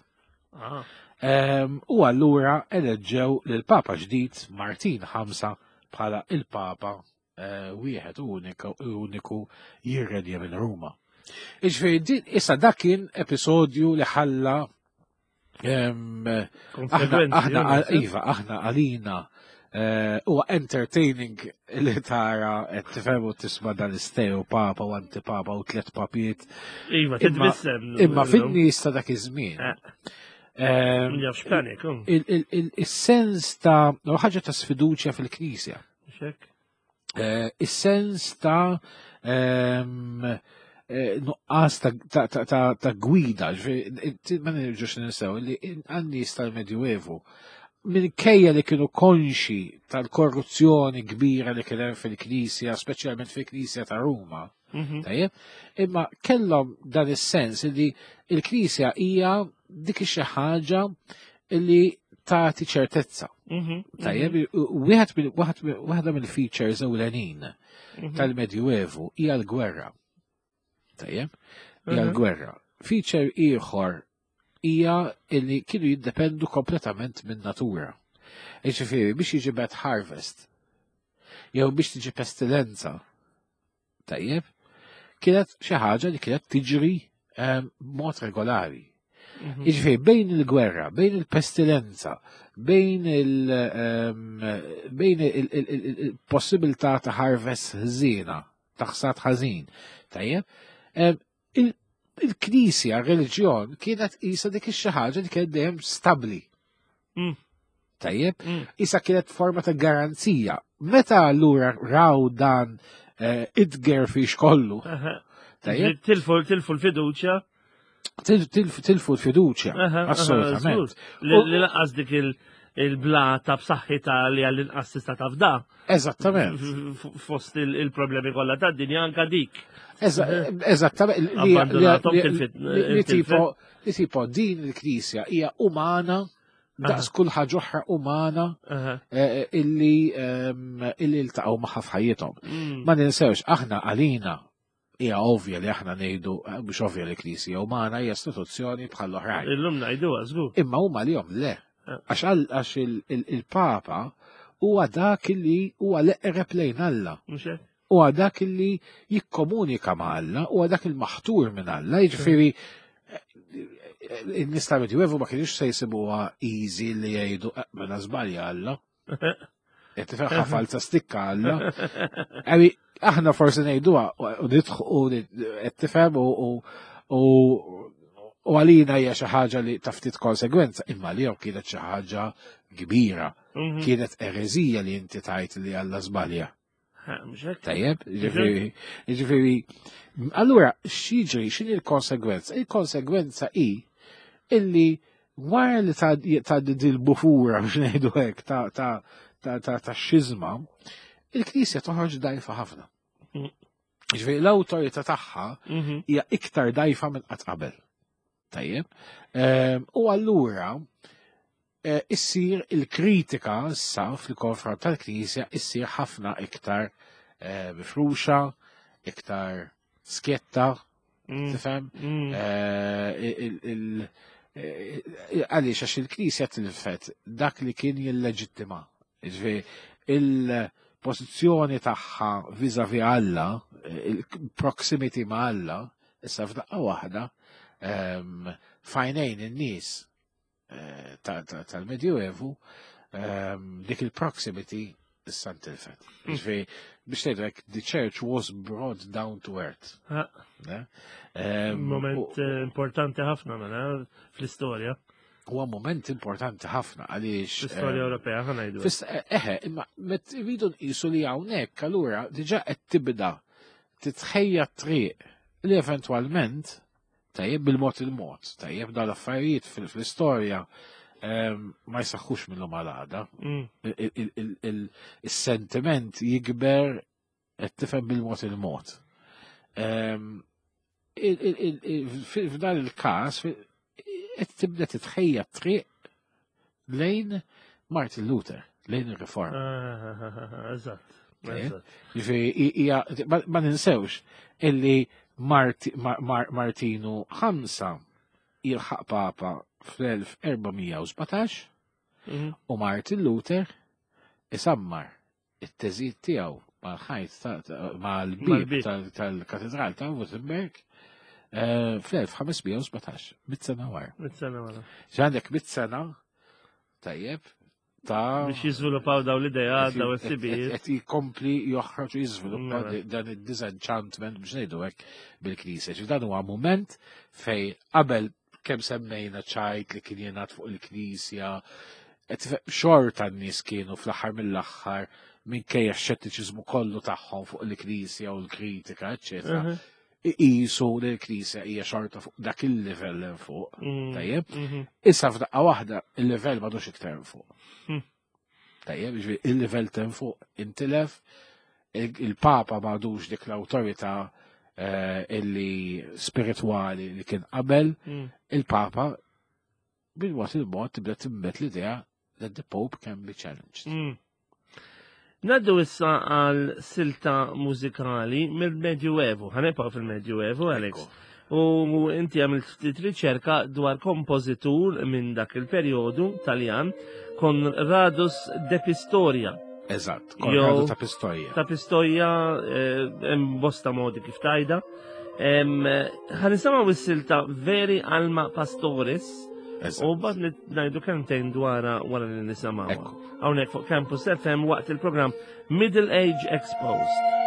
ah. u allura eleġġew lil papa ġdid Martin V bħala il-papa Eh, wieħed uniku jirredja minn Ruma. Iġifieri issa dak kien episodju li ħalla aħna iva, aħna għalina eh, huwa entertaining li tara qed tifhem u tisma' dan isteo papa u antipapa u tliet papiet. Iva, titbissem. Imma fin-nies ta' dak iż-żmien. Eh. Il-sens ta' ħaġa ta' sfiduċja fil-Knisja. Eh, is-sens ta' ehm, eh, nuqqas ta' gwida, ma nirġux ninsew li għan-nies tal-Medjuevu minkejja li kienu konxi tal-korruzzjoni kbira li kien hemm fil-Knisja, speċjalment fil-Knisja ta' Ruma, mhm. tajjeb, imma kellhom dan is-sens li l-Knisja hija dik xi ħaġa li tagħti ċertezza. Mhm, mhm. Tajjeb, wieħed waħda mill-features ewlenin mhm. tal-Medjuevu hija l-gwerra. Tajjeb, hija l-gwerra. Feature ieħor hija li kienu jiddependu kompletament minn natura. Jiġifieri biex jiġi bad harvest jew biex tiġi pestilenza tajjeb, kienet xi ħaġa li kienet tiġri ehm, b'mod regolari. Mhm. Jiġifieri bejn il-gwerra, bejn il-pestilenza, bejn ehm, bejn il-possibilità ta' harvest ħżiena, ta' ħsad ħażin, tajjeb, ehm, il-knisja, r-reliġjon kienet isa dik ix-xi ħaġa li kienet dejjem stabbli. Mm. Tajjeb, mm. isa kienet forma ta' garanzija. Meta allura raw dan eh, id-gerfix kollu. Tajjeb. Tilfu tilfu l-fiduċja. Tilfu l-fiduċja, assolutament. Li laqas dik il- il-blata b'saħħitha li għall-inqas tista' tafda. Eżattament. Fost il-problemi kollha tad-dinja anka dik. Eżattament. Li tipo li tipo din il-Knisja hija umana daqs kull ħaġa oħra umana eh, eh, illi ehm, illi ltaqgħu magħha f'ħajjithom. Mm. Ma ninsewx aħna għalina hija ovvja li aħna ngħidu eh, mhux ovvja li Knisja umana hija istituzzjoni bħal oħrajn. Illum ngħiduha żgur. Imma huma li le. Eh. Għax il-Papa huwa dak li huwa l-eqreb lejn Alla. Huwa dak li jikkomunika ma' Alla, huwa dak il-maħtur minn Alla, jiġifieri eh, in-nies tal-Medjuevu ma kienx se jsibuha easy li jgħidu mela żbalja Alla. Qed tifhem ħafal ta' stikka Alla. Għawi, aħna forsi ngħiduha u nidħqu qed tifhem u u għalina hija xi ħaġa li ta' ftit konsegwenza, imma li kienet xi ħaġa kbira. Mhm. Kienet ereżija li inti tajt li Alla żbalja. Tajjeb, ġifieri, allura x'jiġri, x'inhi l-konsegwenza? Il-konsegwenza hi illi wara li ta' dil-bufura biex ngħidu hekk ta' ta' ta' ta' ta' xizma, il-Knisja toħroġ dajfa ħafna. Mm. Ġifieri l-awtorità tagħha mhm. hija iktar dajfa minn qatt qabel. Tajjeb. Ehm, u allura eh, issir il-kritika issa fil-konfront tal-Knisja issir ħafna iktar eh, mifruxa, iktar skjetta, mm. tifhem? Mm. Eh, għaliex għax il-Knisja tilfet dak li kien jilleġittima. Ġifieri, il-pożizzjoni tagħha vis-a-vis Alla, il-proximity ma' Alla, issa f'daqqa waħda, ehm, fajnejn in-nies eh, tal-Medjuevu, ehm, dik il-proximity issa ntilfet. Hmm. Ġifieri, biex tgħidlek, the church was brought down to earth. Ehm, moment eh, importanti ħafna mela fl-istorja. Huwa moment importanti ħafna għaliex. Fl-istorja ehm, Ewropea ħa ngħidu. Eh, eħe, imma met rridu nqisu li hawnhekk allura diġà qed tibda titħejja triq li eventwalment Tajjeb bil-mod il-mod, tajjeb dal affarijiet fl-istorja ehm, ma jsaħħux minnhom għal għada. Mm. Il-sentiment jikber qed tifhem bil-mod il-mod. Ehm, f'dan il-każ qed tibda titħejja triq lejn Martin Luther, lejn ir-riforma. Ah, ah, ah, eżatt. Ġifieri ma ninsewx illi Martinu ħamsa jilħaq papa fl-1417 mhm. u Martin Luther isammar it-teżijiet tiegħu mal-ħajt mal-bib tal-katedral ta' Wittenberg eh, fl-1517, mit sena wara. Mit sena wara. Għandek mit sena tajjeb ta' biex jiżviluppaw daw l-idea, daw is-sibijiet. Qed jkompli joħroġ u jiżviluppa mela. dan id-disenchantment biex ngħidu hekk bil-Knisja. Ġi dan huwa mument fej qabel kemm semmejna ċajt li kien jingħad fuq il-Knisja, xorta n-nies kienu fl-aħħar mill-aħħar minkejja x-xettiċiżmu kollu tagħhom fuq il-Knisja u l-kritika, eċċetera. Mhm. Iqisu li l-Knisja hija xorta fuq dak il-livell hemm fuq. Mhm. Tajjeb? Mhm. Issa f'daqqa waħda il-livell m'għadux iktar hemm fuq. Mm. Tajjeb, jiġifieri il-livell t'hemm fuq intilef, il-Papa m'għadux dik l-awtorità eh, illi spiritwali li kien qabel, mm. il-Papa bil-mod il-mod tibda timbet l-idea that the Pope can be challenged. Mm. Naddu issa għal silta mużikali mill-Medjuevu, ħanibqgħu fil-Medjuevu, Alex. U inti għamilt ftit riċerka dwar kompożitur minn dak il-perjodu Taljan, Konradus de Pistoria. Eżatt, Konradu ta' Pistoia. Ta' Pistoia, eh, hemm bosta modi kif tajda. Ħanisimgħu s-silta Veri Alma Pastoris. U bad ngħidu kemmtejn dwarha wara li nisimgħu. Hawnhekk fuq Campus FM waqt il-programm Middle Age Exposed.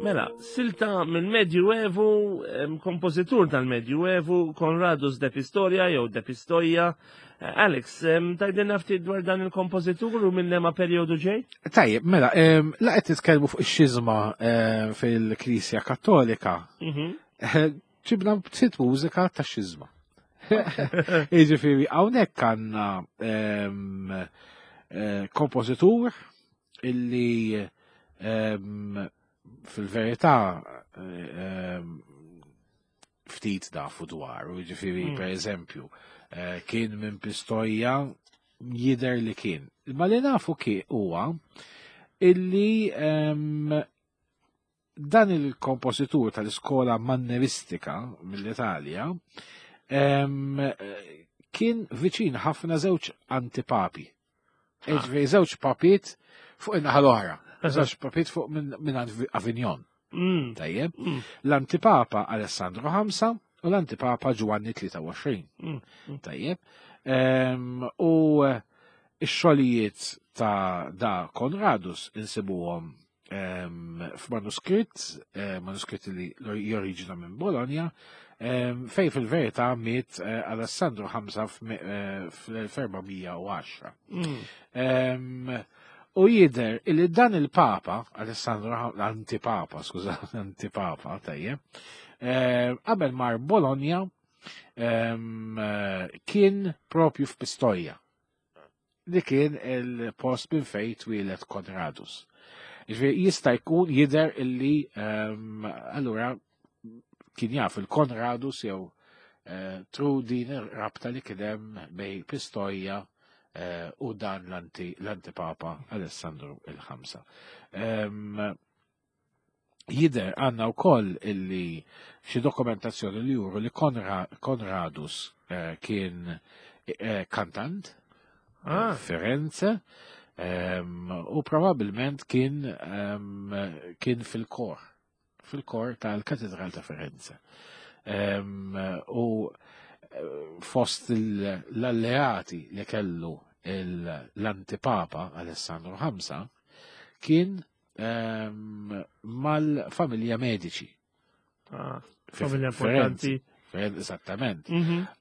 Mela, silta mill-Medjuevu, kompożitur tal-Medjuevu, Konradus de Pistoria jew de Pistoia. Eh, Alex, tajdilna ftit dwar dan il-kompożitur u minn lema perjodu ġej? Tajjeb, mela, la qed titkellmu fuq ix-xiżma fil-Knisja Kattolika. Eh, ġibna ftit mużika ta' xiżma. Jiġifieri hawnhekk għandna eh, kompożitur illi fil-verità ftit nafu dwaru, jiġifieri per eżempju, eh, kien minn Pistoia jidher li kien. Ma li nafu kien huwa illi dan il-kompożitur tal-iskola manneristika mill-Italja kien viċin ħafna żewġ antipapi. Ah. Ġifieri żewġ papiet fuq in-naħa l-oħra. Żewġ papiet fuq minn Avignon. Tajjeb. L-antipapa Alessandro V u l-antipapa Giovanni 23. Tajjeb. U x-xogħlijiet ta' da Konradus insibuhom f'manuskritt, eh, manuskritt li joriġina minn Bologna, fej fil-verità miet eh, Alessandro V eh, fl-1410. U jider illi dan il-Papa, Alessandro l-antipapa, skuża, antipapa, tajjeb, qabel mar Bologna kien propju f'Pistoia li kien il-post minn fejn twieled Konradus. Ġifieri jista' jkun jidher illi ehm, allura kien jaf il-Konradus jew eh, tru din ir-rabta li kien hemm bej Pistoia eh, u dan l-antipapa Alessandru il-Ħamsa. Ehm, Jidher għandna wkoll illi xi dokumentazzjoni li juru li Konradus eh, kien eh, kantant ah. Firenze ehm, u probabbilment kien ehm, kien fil-kor fil-kor tal-Katedral ta' Firenze. Ehm, u eh, fost l-alleati li kellu l-antipapa Alessandro Hamsa kien Ehm, mal-familja Medici. Ah, familja importanti. Esattament.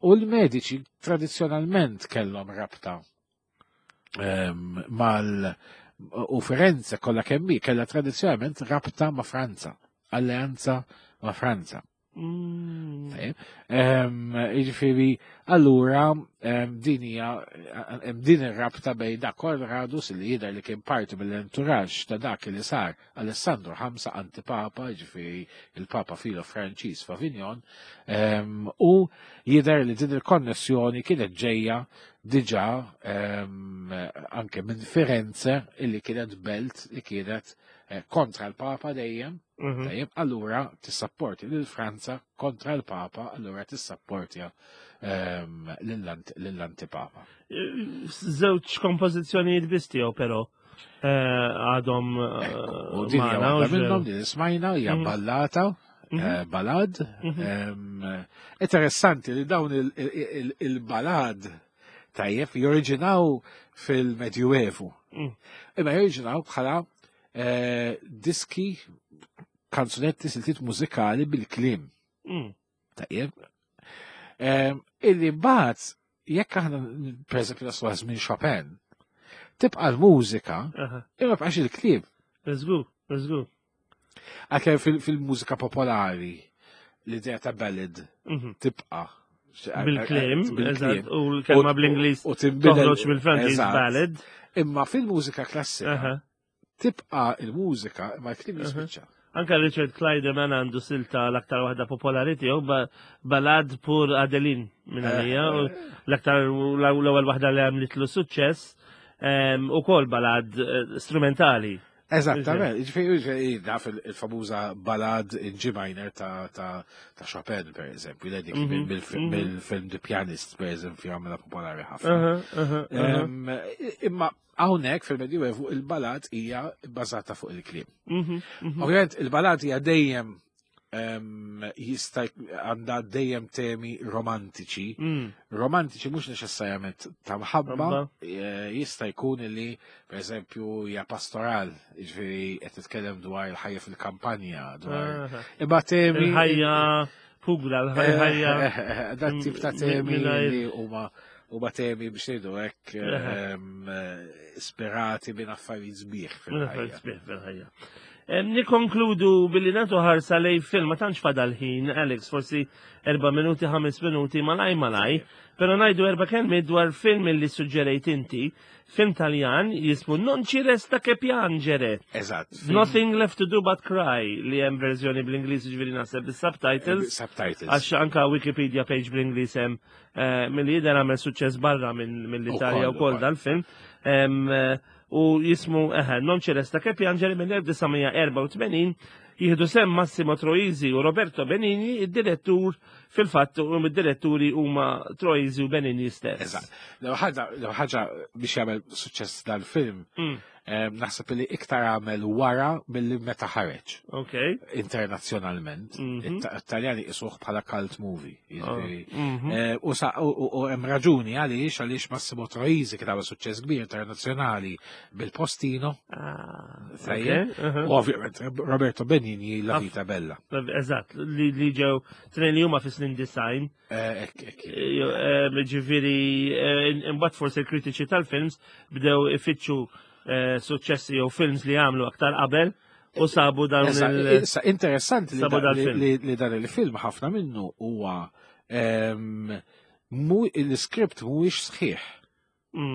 U l-Medici tradizjonalment kellhom rabta ehm, mal u Firenze kollha kemm kellha tradizzjonalment rabta ma' Franza, alleanza ma' Franza. Jiġifieri, allura din hija din ir-rabta bejn dak Konradus li jidher li kien parti mill-entourage ta' dak li sar Alessandro Ħamsa antipapa, jiġifieri il-Papa Filo Franċiż f'Avignon, u jidher li din il-konnessjoni kienet ġejja diġà anke minn Firenze illi kienet belt li kienet eh, kontra l-Papa dejjem. Tajjeb, allura tissapporti lil Franza kontra l-Papa, allura tissapportja ehm, lill-antipapa. Żewġ kompożizzjonijiet biss tiegħu però eh, għadhom eh, U din hija waħda minnhom din smajna hija mhm. ballata mhm. eh, balad. Mhm. Ehm, interessanti li dawn il-balad tajjeb joriġinaw fil-Medjuevu. Mm. Imma joriġinaw bħala Eh, diski, kanzunetti, siltiet mużikali bil-klim. Tajjeb. Eh, illi mbagħad jekk aħna pereżempju naslu minn Chopin, tibqa' l-mużika, imma bqax il-kliem. Żgur, żgur. Għalkemm fil-mużika popolari l-idea ta' ballad tibqa' Bil-klim, eżatt, u l-kelma bl-Ingliż u toħroġ mill-Franċiż ballad. Imma fil-mużika klassika tibqa' il-mużika imma l-klim jispiċċa. Anka Richard Clydeman għandu silta l-aktar waħda popolari tiegħu balad pur Adeline minn eh, għalija, eh. l-aktar l-ewwel waħda li għamlitlu suċċess ehm, ukoll balad eh, strumentali. Eżattament, ġifieri naf il-famuża balad in G minor ta' Chopin, per eżempju, li dik mhm, mhm. mill-film The Pianist, per eżempju, għamela popolari ħafna. Imma hawnhekk fil-Medjuevu il-balad hija bbażata fuq il-kliem. Mhm, Ovvjament il-balad hija dejjem Jista' għandha dejjem temi romantiċi. Romantiċi mhux neċessarjament ta' mħabba, jista' jkun li pereżempju hija pastoral, jiġifieri qed titkellem dwar il-ħajja fil-kampanja, dwar imma temi il-ħajja pugla, l-ħajja. Dat tip ta' temi li huma temi biex ngħidu hekk sperati minn affarijiet sbieħ fil-ħajja. Sbieħ fil-ħajja. Nikonkludu billi nagħtu ħarsa lej film, ma tantx fadal ħin, Alex, forsi 4 minuti, 5 minuti, malaj malaj, pero ngħidu erba' kelmiet dwar film li suġġerejt inti, film Taljan jismu Non ci resta che piangere. Eżatt. Nothing left to do but cry, li hemm verżjoni bl-Ingliż, ġifieri naħseb bis-subtitles. Subtitles. Għax anka Wikipedia page bl-Ingliż hemm milli jidher għamel suċċess barra mill-Italja Ukoll, wkoll dal-film. U jismu Non ci resta che piangere mill-1984, jieħdu sem Massimo Troisi u Roberto Benigni, id-direttur fil-fatt u mid-diretturi huma Troisi u Benigni stess. Eżatt. L-ewwel ħaġa biex jagħmel suċċess dal-film, naħseb li iktar għamel wara milli meta ħareġ. Internazzjonalment. It-Taljani isuh bħala cult movie, jiġifieri. U hemm raġuni għaliex Massimo Troisi kien għamel suċċess kbir internazzjonali bil-Postino. Tajjeb. U ovvjament Roberto Benigni La Vita Bella. Eżatt, li ġew tnejn li huma fis-snin design. Ek, ek. Ġifieri, imbagħad forsi l-kritiċi tal-films bdew ifittxu suċċessi jew films li għamlu aktar qabel u sabu dawn il- Issa, interessanti sabu dal-film. li dan il-film ħafna minnu huwa l-iskript mhuwiex sħiħ.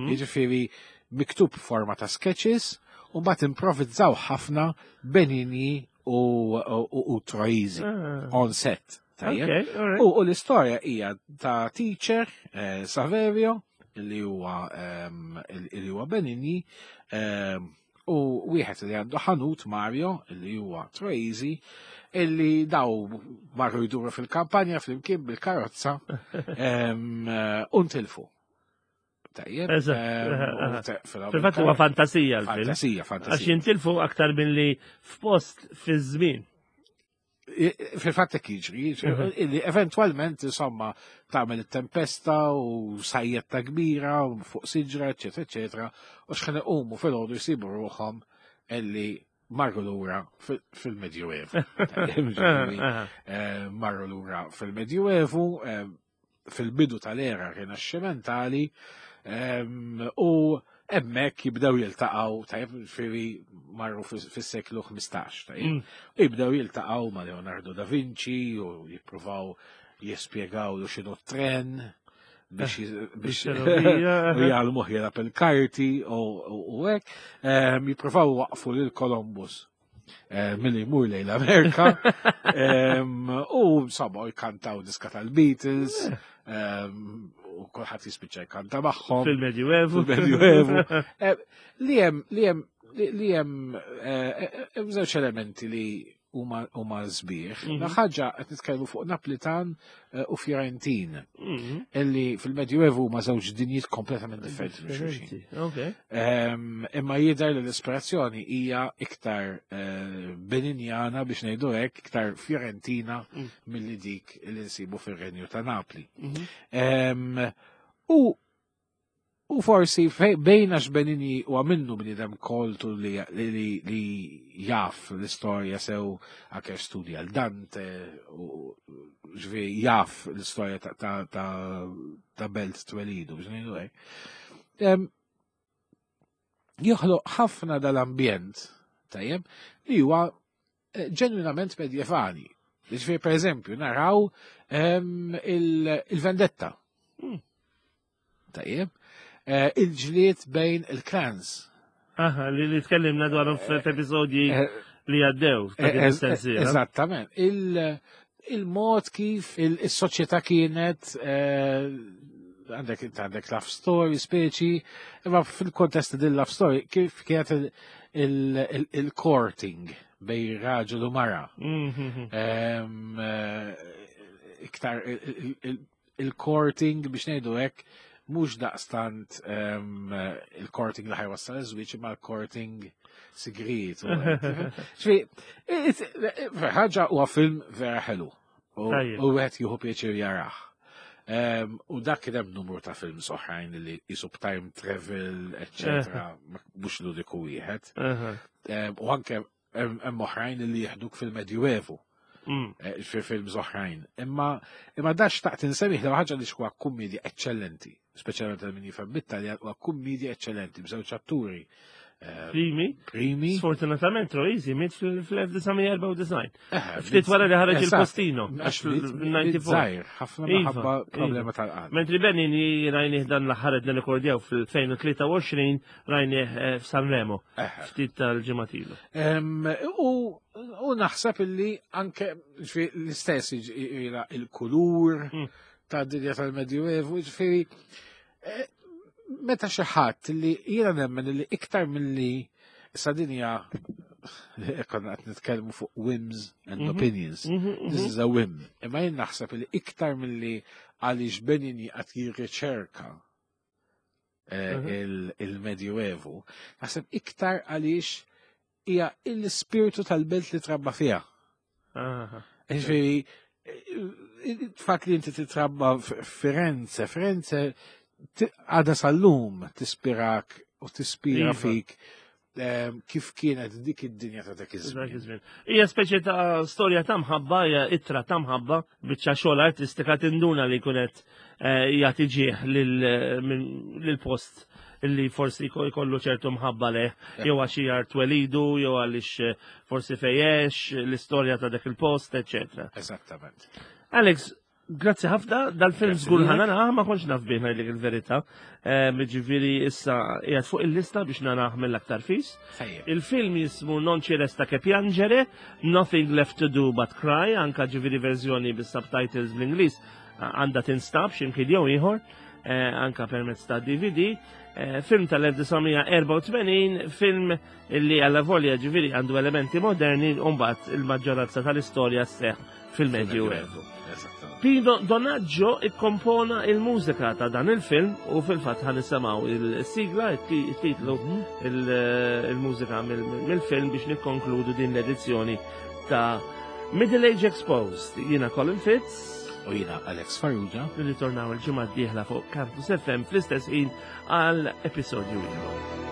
Jiġifieri miktub forma ta' sketches u mbagħad improvvizzaw ħafna Benigni u Troisi on set. Tajjeb? Okay, all right. U l-istorja hija ta' teacher Saverio li huwa Benigni, u wieħed li għandu ħanut Mario li huwa Troisi, illi daw marru jduru fil-kampanja flimkien bil-karozza, u ntilfu. Tajjeb, Eżatt, u fil-għamil Fil-fatt huwa fantasija l-film. Fantasija, fantasija. Għax jintilfu aktar milli f'post fi żmien. Fil-fatt hekk jiġri, jiġri, illi eventwalment, insomma, tagħmel it-tempesta u sajjetta kbira u fuq siġra, eċetera, eċetera, u x'ħin iqumu fil-għodu jsibu ruħhom illi marru lura fil-Medjuevu. Tajjeb, ġifieri, marru lura fil-Medjuevu, fil-bidu tal-era rinaxximentali, u hemmhekk jibdew jiltaqgħu, tajjeb, ġifieri marru fis-seklu 15, tajjeb. U jibdew jiltaqgħu ma' Leonardo da Vinci u jippruvaw jispjegaw lu x'inhu tren biex Biex u jgħallmuh jilgħab il-karti u hekk. Jippruvaw waqfu lil Columbus milli jmur lejn l-Amerika. U insomma jkantaw diska tal-Beatles, u kulħadd jispiċċa jkanta magħhom. Fil-Medjuevu. Fil-Medjuevu. Li hemm, li hemm, li, li hemm hemm żewġ elementi li huma sbieħ. La ħaġa qed nitkellmu fuq Naplitan u Fiorentin, illi fil-Medjuevu huma żewġ dinjiet kompletament differenti minn xulxin. Differenti, ok. Imma jidher li l-ispirazzjoni hija iktar Beninjana, biex ngħidu hekk, iktar Fiorentina milli dik li nsibu fir-Renju ta' Napli. U forsi bejn għax Benigni u għamilnu bniedem koltu li jaf l-istorja sew anke studja l Dante u ġifieri jaf l-istorja ta' belt twelidu, biex ngħidu hekk. Joħloq ħafna dal-ambjent, tajjeb, li huwa ġenwinament medjevali. Ġifieri, per eżempju, naraw il-vendetta. Tajjeb. Il-ġlied bejn il-clans. Aha, li tkellimna dwarhom f'episodji li għaddew ta' din is-sensiela. Eżattament. Il-mod kif il-soċjetà kienet għandek love story speċi, imma fil-kontest din love story kif kienet il-courting bejn raġel u mara. Iktar il-courting biex ngħidu hekk Mhux daqstant il-courting li ħa jwassal iż-żwieġ imma l-courting sigriet. Ħaġa huwa film vera ħelu. U wieħed jieħu pjaċir jarah. U dak kien hemm numru ta' films oħrajn li jisub time travel, eccetera, mhux l-uniku wieħed. U anke hemm oħrajn li jieħduk fil-Medjuevu. Eh, fi films oħrajn. Imma imma da xtaqt insemmih l ħaġa li xwa kummedja eċċellenti, speċjalment għal min jifhem bit-Taljan huwa kummedja eċċellenti b'żewġ atturi. Eh, primi. Primi. Sfortunatament Troisi miet fl-1994. Eh, Ftit wara li ħareġ il-postino. Għax fil-94. ħafna iva, minħabba iva. problema tal-qalb. Mentri Benini rajnih dan l-aħħar qed nirrekordjaw fil-2023 rajnih eh, f'Sanremo. Ftit tal-ġimgħat ilu. U naħseb illi anke l-istess il-kulur ta' dinja tal-Medjuevu, ġifieri eh, meta xi ħadd li jiena nemmen li iktar milli sa dinja konna qed nitkellmu fuq whims and opinions. This is a whim. Imma jien naħseb li iktar milli għaliex Benigni qed jirriċerka eh, il-Medjuevu, naħseb iktar għaliex hija l-ispirtu tal-belt li trabba fiha. Ġifieri, fatt li inti titrabba Firenze, Firenze għada sal-lum tispirak u tispira iva. fik kif kienet dik id-dinja ta' dak iż-żmien. Hija speċi ta' storja ta' mħabba, hija ittra ta' mħabba, biċċa xogħol artistika tinduna li kunet eh, jagħti ġieħ lill-post li forsi jkollu ċertu mħabba leh, jew għax hija twelidu, jew għaliex eh, forsi fejjex, l-istorja ta' dak il-post, eċetera. Eżattament. Alex, grazzi ħafna, dal-film żgur ħanana, ah, ma kontx naf bih ngħidlek il-verità. Eh, ġifieri issa qiegħed fuq il-lista biex narah mill-aktar fis. Il-film jismu Non ci resta che piangere, Nothing Left to Do But Cry, anka ġifieri verżjoni bis-subtitles bl-Ingliż għandha tinstab x'imkien jew ieħor, eh, anka permezz ta' DVD. Eh, film tal-1984, film li għalla volja ġifieri għandu elementi moderni, u mbagħad il-maġġoranza tal-istorja sseħħ fil-Medju Evu. Pino Donaggio ikkompona il-mużika ta' dan il-film u fil-fatt ħan nisimgħu il-sigla, il-titlu, mhm. il-mużika mill-film biex nikkonkludu din l-edizzjoni ta' Middle Age Exposed. Jiena Colin Fitz. U jiena Alex Farrugia. Nirritornaw il-ġimgħa d-dieħla fuq Campus FM fl-istess ħin għal episodju ieħor.